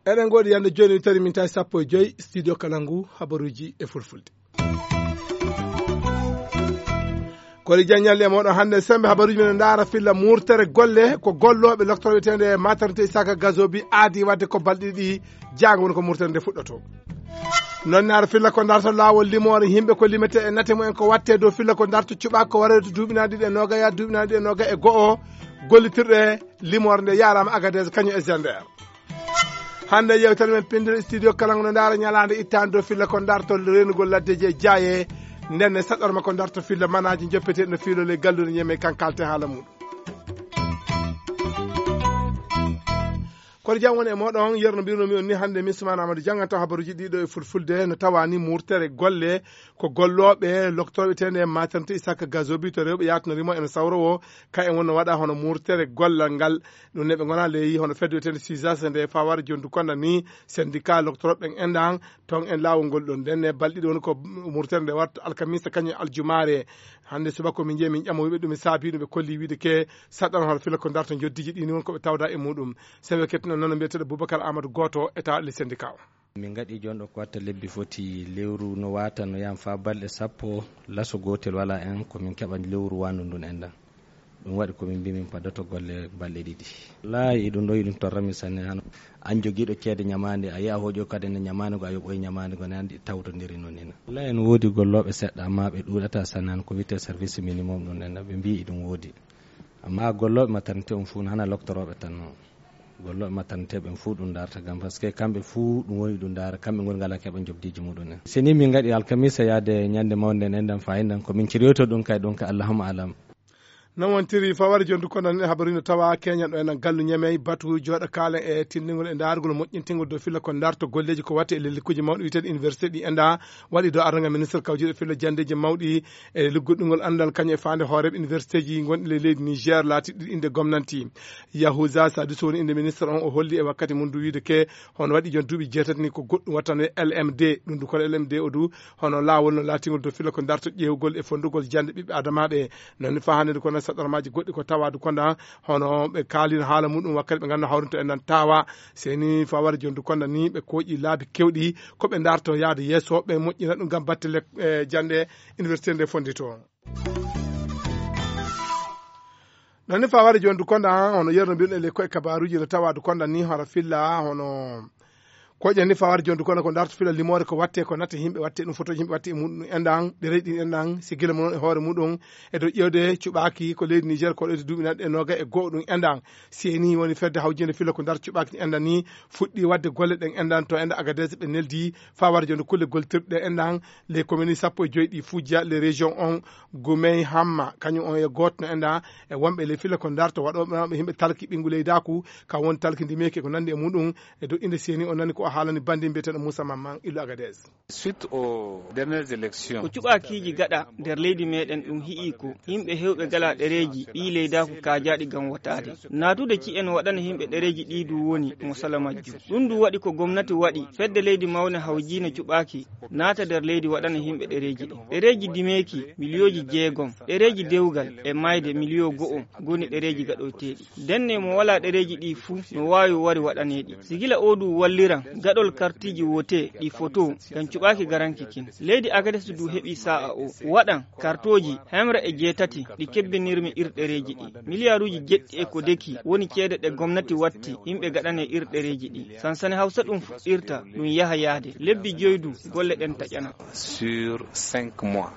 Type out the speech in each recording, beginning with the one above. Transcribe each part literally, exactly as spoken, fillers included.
Eɗen ngoodi yande jooni, tari min tawi sappo e joyi, studio kala ngu, habaruuji e fulfulde. Kori jaññalli e mooɗon hannde, sembe habaruuji men ndaara filla murtere golle, ko gollooɓe loktoro wiyeteende maternité Isaka Gazobi aadi wadde ko balɗe ɗiɗi jaango woni ko murtere nde fuɗɗoto. Noon naara filla ko ndarto laawol limoore yimɓe ko limete e nate mumen ko watte dow filla ko ndarto cuɓaako ko warata duuɓi naaɗi ɗe noga ya duuɓi naaɗi ɗe noga e go'o. Gollitirɗe limoore nde yaaraama Agadez kañum e Zender. Hannde yewtere men pinndere studio kala ngo no ndaara ñalaande ittaande dow filla ko ndarto reenugol laddeeji e jaaye. Ndenne saɗɗorma ko ndarto filla manaaji joppeteeɗi no fiilole gallude ñeme kan kalte haala muɗum. Kono jam woni e moɗon, yerno mbirnomi on ni hannde, min Soumana Amadou jannganto habaruuji ɗiɗo e fulfulde. No tawani murtere golle ko gollooɓe loktoro wiyeteende maternité Isaka Gazobi to rewɓe yaatunori mo ene sawrowo. Ka en wonno waɗa hono murtere gollal ngal. Ɗum ne ɓe ngona ley hono fedde wiyeteende sisas nde fawar jondu konda ni syndicat loktoroɓe ɓen endan ton en laawol ngol ɗon. Ndenne balɗe ɗiɗi woni ko murtere nde warta alkamisa kañum aljumaare. Hannde subaka ko min jeeyi min ƴamo wiɓe ɗum e saabi ɗum ɓe kolli wiide ke saɗɗan hono fila ko darto joddiji ɗi ni won ko ɓe tawda e muɗum. Sen ɓe kettino noon mbiyeteɗo Boubacar Amadou Goto e tawa le syndicat o. Min ngaɗi jooni ɗo ko watta lebbi foti lewru no wata no yam fa balɗe sappo, laso gootel wala en ko min keɓa lewru wandu ndun enɗan. Ɗum waɗi ko min mbi min paddoto golle balɗe ɗiɗi. Wallaahi, ɗum ɗo, ɗum torrami sanne. Hano an jogiiɗo ceede ñamaande, a yi'a hooƴo kadi ne ñamaande go, a yoɓoy ñamaande go, ne anndi tawtondiri noon ina. Wallaahi, ene woodi gollooɓe seɗɗa, amma ɓe ɗuuɗata sanne. Hano ko wiyetee service minimum ɗum enɗan, ɓe mbii ɗum woodi. Amma gollooɓe maternité on fuu, hana loktorooɓe tan non. Gollooɓe maternité ɓen fuu ɗum ndaarta gam, parce que kamɓe fuu ɗum woni ɗum ndaara, kamɓe ngoni ngala keɓa jobdiiji muɗum en. Si ni min ngaɗi alkamisa yaade ñande mawnde nden, ɗan faayi ndan ko min ciroyto ɗum kay, ɗum ka Allahumma alam. Non wontiri fawar jondu kono nen habaru no tawa keñan ɗo enen gallu ñamey batu jooɗa kaalen e tindingol e ndaargol moƴƴintingol dow filla ko ndarto golleeji ko watte e lellikkuji mawɗi wiyeteeɗi université ɗi enda waɗi dow aranga ministre kawjiiɗo filla jandeeji mawɗi e lugguɗingol anndal kañum e faande hooreeɓe universitéji gonɗi ley leydi Niger laatiɗi innde gomnanti. Yahuza Sadisu woni innde ministre on, o holli e wakkati mum du wiide ke hono waɗi jon duuɓi jeetati ni ko goɗɗum wattano e L M D. Ɗum du kono L M D o du hono laawol no laatingol dow fila ko darto ƴeewgol e fonndugol jannde ɓiɓɓe adamaaɓe. Noon ni faa hannde du kono saɗɗormaaji goɗɗi ko tawaa du konda hono ɓe kaalino haala muɗum wakkati ɓe nganndu hawrinto en nan tawa. Seni faa wara jon du konda ni ɓe kooƴi laabi kewɗi ko ɓe darto yaade yeeso ɓe moƴƴina ɗum ngam batte lek-, eh, jannde université nde fonndito. Ɗon ni fawade joni du konda hono yerno mbiɗen le koye kabaruji no tawa du konda ni hono filla hono koƴen ni fawade joni du konda ko darto filla limoore ko watte ko natte yimɓe watte ɗum fotoji yimɓe watte e muɗum endan ɗereji ɗin endan si gila mo noon e hoore muɗum e dow ƴewde cuɓaki ko leydi Niger ko ɗo duuɓi naɗɗe e noga e goho ɗum endan. Seni woni fedde hawjinde filla ko darto cuɓaki endan ni fuɗɗi wadde golle ɗen endan to enda Agadez ɓe neldi fawade joni kulle goltirɗe endan les communes sappo e joyi ɗi fujja les régions on Gumey Hamma, kañum on e gooto no enɗa e wonɓe ley fila ko darto waɗooɓe mawɓe yimɓe talki ɓinngu leydaaku, ka won talki ndimeeki e ko nanndi e muɗum. E dow innde seeni o nani ko o haalani banndi mbiyeteeɗo Moussa Mamman Illo Agadez. Suite aux dernières élections. Ko cuɓaakiiji gaɗa nder leydi meɗen ɗum hi'i ko yimɓe hewɓe gala ɗereeji ɓii leydaaku kaajaaɗi ngam wotaade. Naatude ci'en waɗana yimɓe ɗereeji ɗi du woni mo sala majjum. Ɗum du waɗi ko gomnati waɗi, fedde leydi mawne hawjiino cuɓaaki naata nder leydi waɗana yimɓe ɗereeji ɗi. Ɗereeji dimeeki miliyooji jeegom, ɗereeji dewgal e mayde miliyo go'o ngoni ɗereeji gaɗoyteeɗi. Ndenne mo walaa ɗereeji ɗi fuu no waawi wari waɗaneeɗi. Si gila oo du walliran gaɗol kartiiji wote ɗi foto ngam cuɓaaki garanki kin. Leydi Agades du heɓi saa'a o waɗan kartooji hemre e jeetati ɗi kebbinirmi ir ɗereeji ɗi. Miliyaaruuji jeɗɗi e ko deki woni ceede ɗe gomnati watti yimɓe gaɗane ir ɗereeji ɗi. Sansani Hawsa ɗum fuɗɗirta, ɗum yaha yaade. Lebbi joy du, golle ɗen taƴana. Sur cinq mois.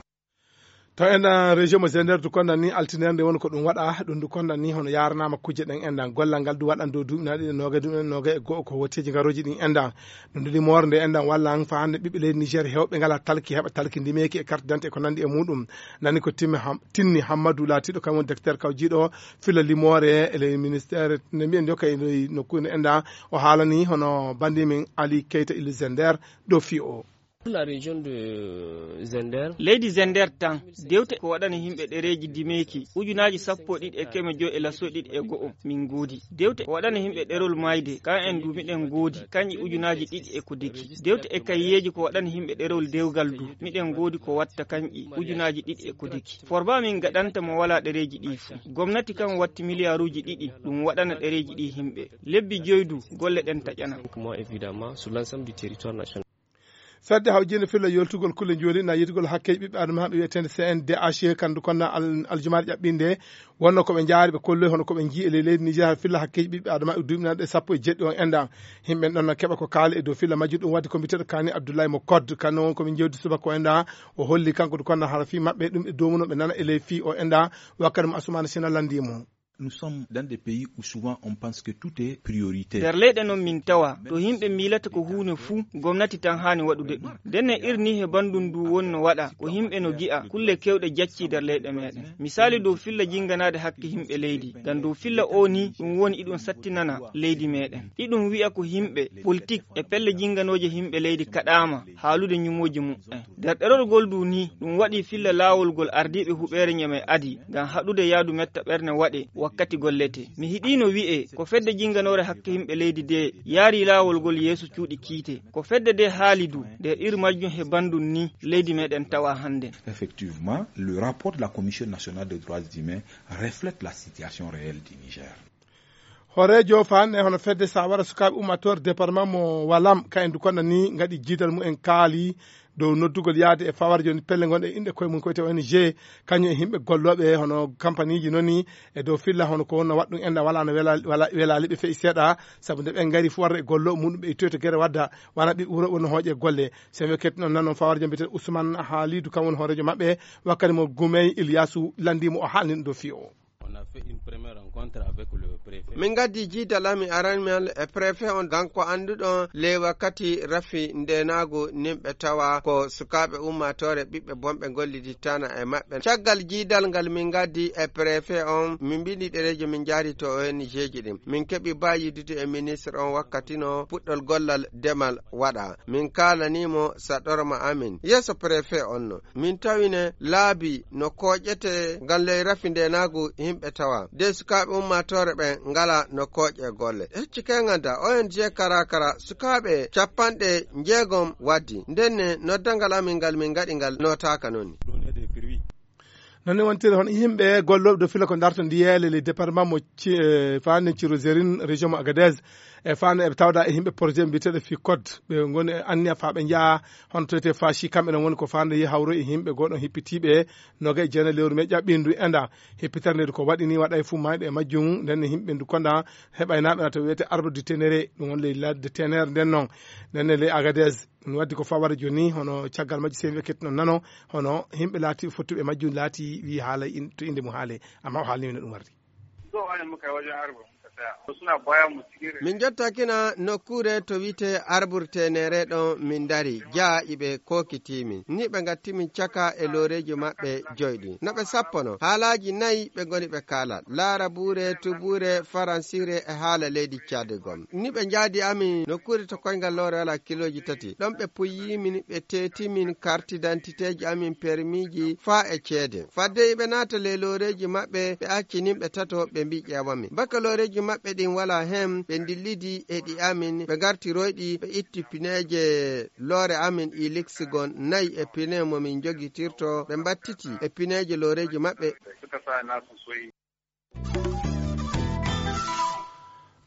To en, ah, région mo Zender du konda ni altine nde woni ko ɗum waɗa, ɗum du konda ni hono yaranama kujje ɗen endan. Gollal ngal du waɗan dow duuɓi naɗi ɗe noga, duuɓi naɗi noga e go'o ko woteji ngaroji ɗin endan. Ɗum du limoore nde endan wallan fa hande ɓiɓɓe leydi Niger hewɓe ngala talki heɓa talki ndimeeki e carte d'identité e ko nandi e muɗum. Nani ko Timmi Ham-, Tinni Hammadou laatiɗo kañum woni directeur kawjiɗo fila limoore e ley ministère ne mbiyen yo kay ley nokkuure endan. O haalani hono bandi min Ali Keita Ilou Zender dow fiyo o. La région de Zender. Leydi Zender tan, dewte ko waɗana yimɓe ɗereeji dimeeki ujunaaji sappo e ɗiɗi e keme joy e lasso ɗiɗi e go'o min ngoodi. Dewte ko waɗana yimɓe ɗerol maayde, kan en du miɗen ngoodi, kanƴi ujunaaji ɗiɗi e ko deki. Dewte e kayeeji ko waɗana yimɓe ɗerol dewgal du, miɗen ngoodi ko watta kanƴi ujunaaji ɗiɗi e ko deki. Forba min gaɗanta mo walaa ɗereeji ɗi fuu. Gomnati kan watti miliyaaruuji ɗiɗi, ɗum waɗana ɗereeji ɗi yimɓe. Lebbi joy du, golle ɗen taƴana. Moi, évidemment, sur l'ensemble du territoire national. Fedde hawjinde filla yoltugol kulle njooli na yetugol hakkeeji ɓiɓɓe adama ɓe wiyetende C N D H, kandu konna al-, aljumaaɗe ƴaɓɓinde, wonno ko ɓe njaari ɓe kolloy hono ko ɓe njii e ley leydi Niger filla hakkeeji ɓiɓɓe adama e duuɓi nanɗe sappo e jeɗɗi on enda. Yimɓe ɗon na keɓa ko kaali e dow filla majjum, ɗum waddi ko mbiteɗo Kani Abdoulaye mo Code, kanno won ko min jewdi subaka o enda. O holli kanko du konna hara fii maɓɓe ɗum ɓe domuno ɓe nana e ley fii o enda. Wakkati mo Assoumani Sina landi mo. Nous sommes dans des pays où souvent on pense que tout est prioritaire. Nder leyɗe non min tawa to yimɓe miilata ko huunde fuu, gomnati tan haani waɗude ɗum. Ndenne irni he banndum ndu woni no waɗa ko yimɓe no gi'a kulle kewɗe jacci nder leyɗe meɗen. Misali dow filla jinnganaade hakke yimɓe leydi, ngam dow filla o ni ɗum woni iɗum sattinana leydi meɗen. Iɗum wi'a ko yimɓe politik e pelle jinnganooje yimɓe leydi kaɗaama haalude ñumooji muɓɓen. Nder ɗerol ngol du ni, ɗum waɗi filla laawol ngol ardiiɓe huɓeere Ñamey adi ngam haɗude yaadu metta ɓerne waɗe wakkati gollete. Mi hiɗiino wi'e ko fedde jinnganoore hakke yimɓe leydi de yaari laawol ngol yeeso cuuɗi kiite. Ko fedde de haali du, nder ir majjum he banndum ni, leydi meɗen tawa hannden. Effectivement, le rapport de la Commission nationale des droits humains reflète la situation réelle du Niger. Hooreejo faanne hono fedde sawara sukaaɓe ummaatoore département mo Walam, ka en du konna ni ngaɗi jiidal mumen kaali dow noddugol yaade e fawarjo ni pelle ngonɗe inɗe koye mum ko wiyete O N G, kañum e yimɓe gollooɓe hono kampaniiji noni e dow filla hono ko wonno waɗɗum enda wala no wela-, wala, welaali ɓe feƴi seeɗa, sabu nde ɓe ngari fu warde e gollo muɗum ɓe ittoyto gere wadda wana ɓe wuro wonno hooƴe golle. So en wekkete noon nan noon fawarjo mbiyetee Ousmane Halidou kam woni hooreejo maɓɓe, wakkati mo Gumey Ilyasu landii mo o haalni ɗum dow fii o. On a fait une première rencontre avec le préfet. Min ngaddi jiidal amin aranmal e préfet on, kanko annduɗo ley wakkati rafi ndenaagu nimɓe tawa ko sukaaɓe ummaatoore ɓiɓɓe bonɓe ngollidittana e maɓɓe. Caggal jiidal ngal min ngaddi e préfet on, min mbindi ɗereeji min njaari to O N G ji ɗin. Min keɓi ba yiddude e ministre on wakkati no puɗɗol gollal demal waɗa. Min kaalani mo saɗorma amin. Yeeso préfet on no. Min tawine laabi no kooƴete ngam ley rafi ndenaagu yimɓe tawa. De sukaaɓe ummaatoore ɓen ngala no kooƴe golle. Hecci kay nganta O N G Kara Kara sukaaɓe capanɗe njeegom waddi. Ndenne noddangal amin ngal min ngaɗi ngal notaaka noni. Noon ne wontiri hono yimɓe gollooɓe dow fila ko darto ndiyeele le département mo ci-, eh, faande Cirozerin, région mo Agadez. E faande eɓe tawda e yimɓe projet mbiyeteeɗo fii code. Ɓe ngoni e anniya faa ɓe njaha hono to wiyetee Fashi, kamɓe non woni ko faande yi hawro e yimɓe goo ɗon hippitiiɓe noga e jeenayi lewru mee ƴaɓɓindu enda. Hippitere nde ko waɗi ni waɗa e fuu mayɗo e majjum, nden ne yimɓe ndu konda heɓaynaaɓe na to wiyetee Arbre du Ténéré, ɗum woni ley ladde Ténéré nden non. Nden ne ley Agadez, ɗum waddi ko fawara jooni, hono caggal majji sey mi ekkiti non nano, hono yimɓe laati fottuɓe majjum laati wi haala in-, to innde mum haale, amma o haalni min no ɗum wardi. Min jottaakina nokkuure to wiyetee Arbre Ténéré ɗon min ndari, jaa iɓe kookiti min. Ni ɓe ngatti min caka e looreeji maɓɓe joy ɗin. No ɓe sappono, haalaaji nayi ɓe ngoni ɓe kaala. Laarabuure, tubuure, faransiire e haala leydi Caad gom. Ni ɓe njaadi amin nokkuure to koyngal loore wala kilooji tati. Ɗon ɓe puyi min, ɓe teeti min kartidantiteeji amin, permiiji faa e ceede. Fadde iɓe naata ley looreeji maɓɓe, ɓe acci nin ɓe tato, ɓe mbii ƴeewa min. Baka looreeji maɓɓe ɗin walaa hen, ɓe ndillidi e ɗi amin, ɓe ngarti royɗi, ɓe itti pineeje loore amin Ilix gon nayi e pine mo min njogitirto, ɓe mbattiti e pineeje looreeji maɓɓe.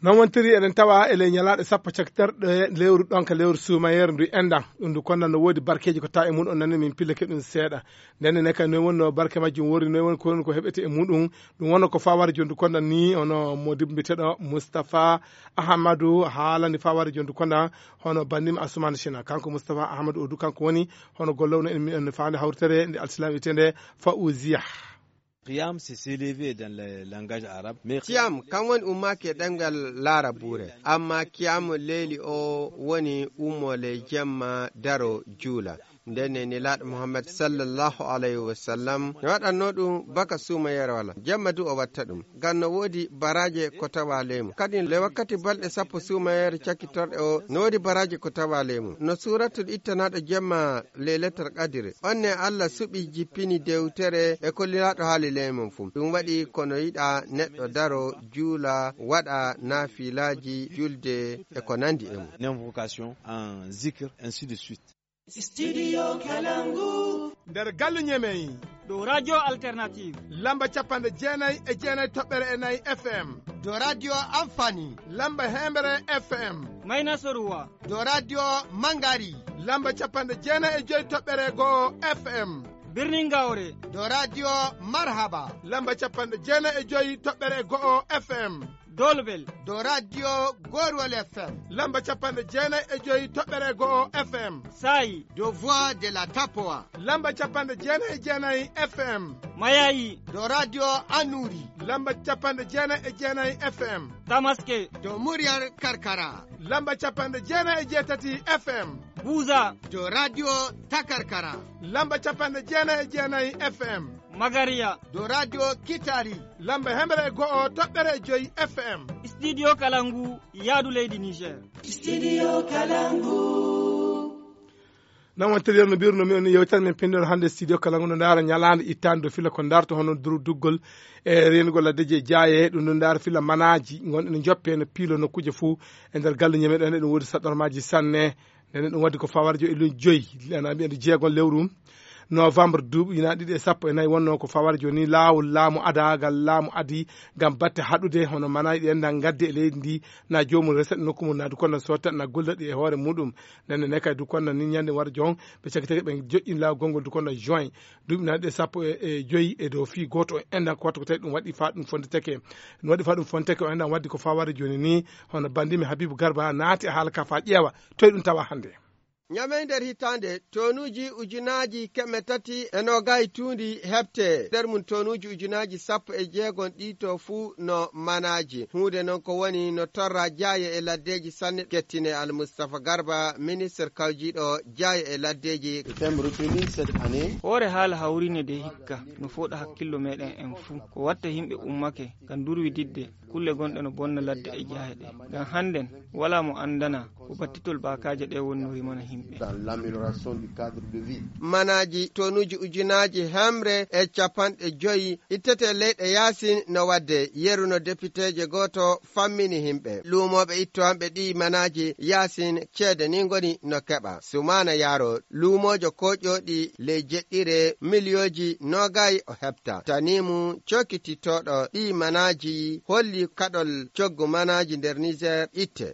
Non wontiri eɗen tawa e ley ñalaaɗe sappo cakiterɗe lewru ɗon ka lewru suumayeeru ndu enɗan. Ɗum ndu konnan no woodi barkeeji ko tawa e mum on nani min pillake ɗum seeɗa. Nden ne kay noy wonno barke majjum wori, noy woni ko woni ko heɓete e muɗum. Ɗum wonno ko fawara jondu konnan ni hono mo dimbiteɗo Moustapha Ahmadou haalani fawara jondu konnan hono bandim Assoumane China. Kanko Moustapha Ahmadou o du kanko woni hono gollowno en, en faande hawritere nde alsilam wiyetende Fawziya. Qiyam, c'est s'élever dans le langage arabe. Mais Qiyam, kan woni ummaaki e ɗemngal Laarabuure. Amma Qiyam Leyli o woni ummo ley jemma, daro, juula. Nden ne Nelaaɗo Muhammad sallallahu alayhi wa sallam ne waɗatnoo ɗum baka suumayeere wala. Jemma du o watta ɗum. Ngam no woodi baraaje ko tawa leymu. Kadi le wakkati balɗe sappo suumayeere cakkitorɗe o, no woodi baraaje ko tawa leymu. No suuratul ittanaaɗo jemma Laylatul Qadri. On ne Allah suɓi jippini dewtere e ko Nelaaɗo haali leymu fuu. Ɗum waɗi ko no yiɗa neɗɗo daro, juula, waɗa naafilaaji, julde e ko nandi e mum. En invocation, en zikr, ainsi de suite. Studio Kalangu. Nder galle Ñemey. Dow Radio Alternative. Lamba capanɗe jeenayi e jeenayi toɓɓere e nayi F M. Dow Radio Amfani. Lamba hemre F M. Mayna Soruwa. Dow Radio Mangari. Lamba capanɗe jeenayi e joyi toɓɓere go'o F M. Birnin Gawre. Dow Radio Marhaba. Lamba capanɗe jeenayi e joyi toɓɓere go'o F M. Dolbel. Dow Radio Gorwal F M. Lamba capanɗe jeenayi e joyi toɓɓere go'o F M. Saayi. Dow Voix de la Tapoa. Lamba capanɗe jeenayi e jeenayi F M. Mayayi. Dow Radio Anuri. Lamba capanɗe jeenayi e jeenayi F M. Tamaske. Dow Muryar Karkara. Lamba capanɗe jeenayi e jeetati F M. Buza. Dow Radio Takarkara. Lamba capanɗe jeenayi e jeenayi F M. Magariya. Dow Radio Kitari. Lamba hemre e go'o toɓɓere e joyi F M. Studio Kalangu, yaadu leydi Niger. Studio Kalangu. Nan wontere no mbirno mi on yewtere men pinndol hannde studio Kalangu no ndaara ñalaande ittaande dow fila ko ndaarto hono duru duggol e reenugol laddeji e jaaye ɗum no ndaara fila manaaji ngonɗe no joppe no piilo nokkuuje fuu e nder galle ñeme ɗon eɗum woodi saɗɗormaaji sanne. Nden ɗum waddi ko fawara jo e lun joyi ana mbiyande jeegon lewru novembre duuɓi ina ɗiɗi e sappo e nayi wonno ko fawara joni laawol laamu adagal laamu adi ngam batte haɗude hono manaji ɗi enɗan gadde e leydi ndi na joomum reset nokku mum na dukonno sotta na golda ɗi e hoore muɗum. Nden ne kay dukonno ni ñande wara jon ɓe cakitake ɓe joƴƴin laawol gongol dukonno juin duuɓi na ɗiɗi e sappo e joyi e dow fii gooto o enɗan ko wattu ko tawi ɗum waɗi fa ɗum fondeteke. Ɗum waɗi fa ɗum fondeteke o enɗan waddi ko fawara joni ni hono bandimi Habibu Garba naati e haala ka fa ƴeewa toye ɗum tawa hannde. Ñamey nder hitaande tonuuji ujunaaji keme tati e noogay tuundi heɓte nder mum tonuuji ujunaaji sappo e jeegom ɗi to fuu no manaaji huunde noon ko woni no torra jaaye e laddeeji sanne kettine almustafa garba ministre kawjiiɗo jaaye e laddeeji. Hoore haala hawrine de hikka no fooɗa hakkillo meeɗen en fuu ko watta yimɓe ummake ngam durwididde kulle gonɗe no bonna ladde e jaahe ɗe ngam hannden walaa mo anndana ko battitol baakaaje ɗe woni no rimana yimɓe. Manaaji tonuuji ujunaaji hemre e capanɗe joyi ittete leyɗe yaasin no waɗde yeru no depiteeje gooto fammini yimɓe luumooɓe ittowanɓe ɗi manaaji yaasin ceede ni ngoni no keɓa sumaana yaaro luumoojo kooƴooɗi ley jeɗɗire miliyooji noogay o heɓta tanimu cokititooɗo ɗi manaaji holli kaɗol coggu manaaji nder niger itte.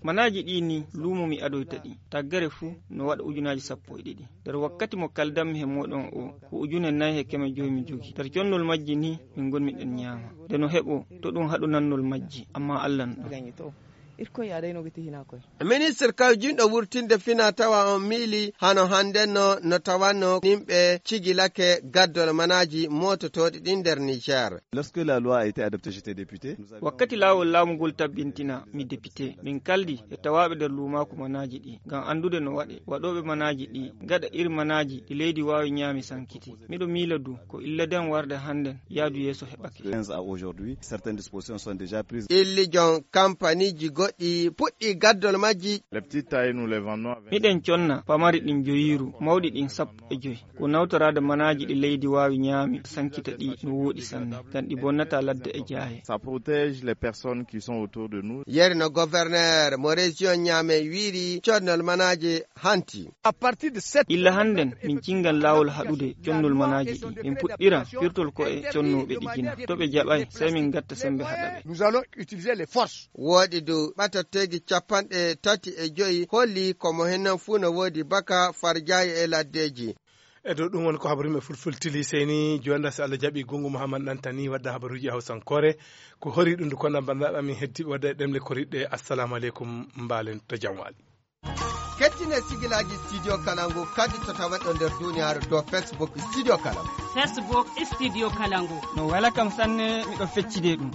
Manaaji ɗi ni luumo mi adoyta ɗi taggere fuu no waɗa ujunaaji sappo e ɗiɗi nder wakkati mo kaldammi he mooɗon o ko ujune nayi he keme joyi mi jogi nder connol majji ni min ngonmi ɗen ñaama nde no heɓo to ɗum haɗu nannol majji amma allah no ɗo. Irkoy aɗa ino giti hina koy. Ministre kawjinɗo wurtinde fina tawa on miili hano hannden no no tawanno yimɓe cigilake gaddol manaaji moototooɗi ɗin nder niger. Lorsque la loi a été adoptée j'étais député. Wakkati laawol laamugol tabbintina mi depite min kaldi e tawaaɓe nder luumaaku manaaji ɗi ngam anndude no waɗe waɗooɓe manaaji ɗi gaɗa iri manaaji ɗi leydi waawi ñaami sankiti miɗo miila du ko illa den warde hannden yaadu yeeso heɓake. Quinze à aujourd'hui certaines dispositions sont déjà prises. Illijon kampaniiji goɗɗi puɗɗi gaddol majji. Les petites tailles nous les vendons avec. Miɗen conna pamari ɗin joyiiru mawɗi ɗin sappo e joyi ko nawtoraade manaaji ɗi leydi waawi ñaami sankita ɗi no wooɗi sanne ngam ɗi bonnata ladde e jaaye. Ça protège les personnes qui sont autour de nous. Yeri no gouverneur mo région ñaame wiiri codnol manaaji hanti. Illa hannden min cinngan laawol haɗude connol manaaji ɗi min puɗɗira firtol ko e connooɓe ɗi jina to ɓe jaɓay sey min gatta semmbe haɗa ɓe. Nous allons utiliser les forces. Wooɗi dow ɓatatteegi capanɗe tati e joyi holli ko mo hennan fuu no woodi baka farjaayi e laddeeji. E dow ɗum woni ko habaruuji men fulfultili seyni jonda so allah jaɓi gungu mouhammad ɗantani wadda habaruuji hawsankoore ko hori ɗum ndu konna banndiraaɓe amin heddiiɓe wadda e ɗemle koriɗɗe assalamu aleykum mbaalen to jam waali. Kettine sigilaaji studio kalangu kadi to tawaɗo nder duniyaaru dow facebook studio kalangu. Facebook studio kalangu. No wela kam sanne miɗo feccide ɗum.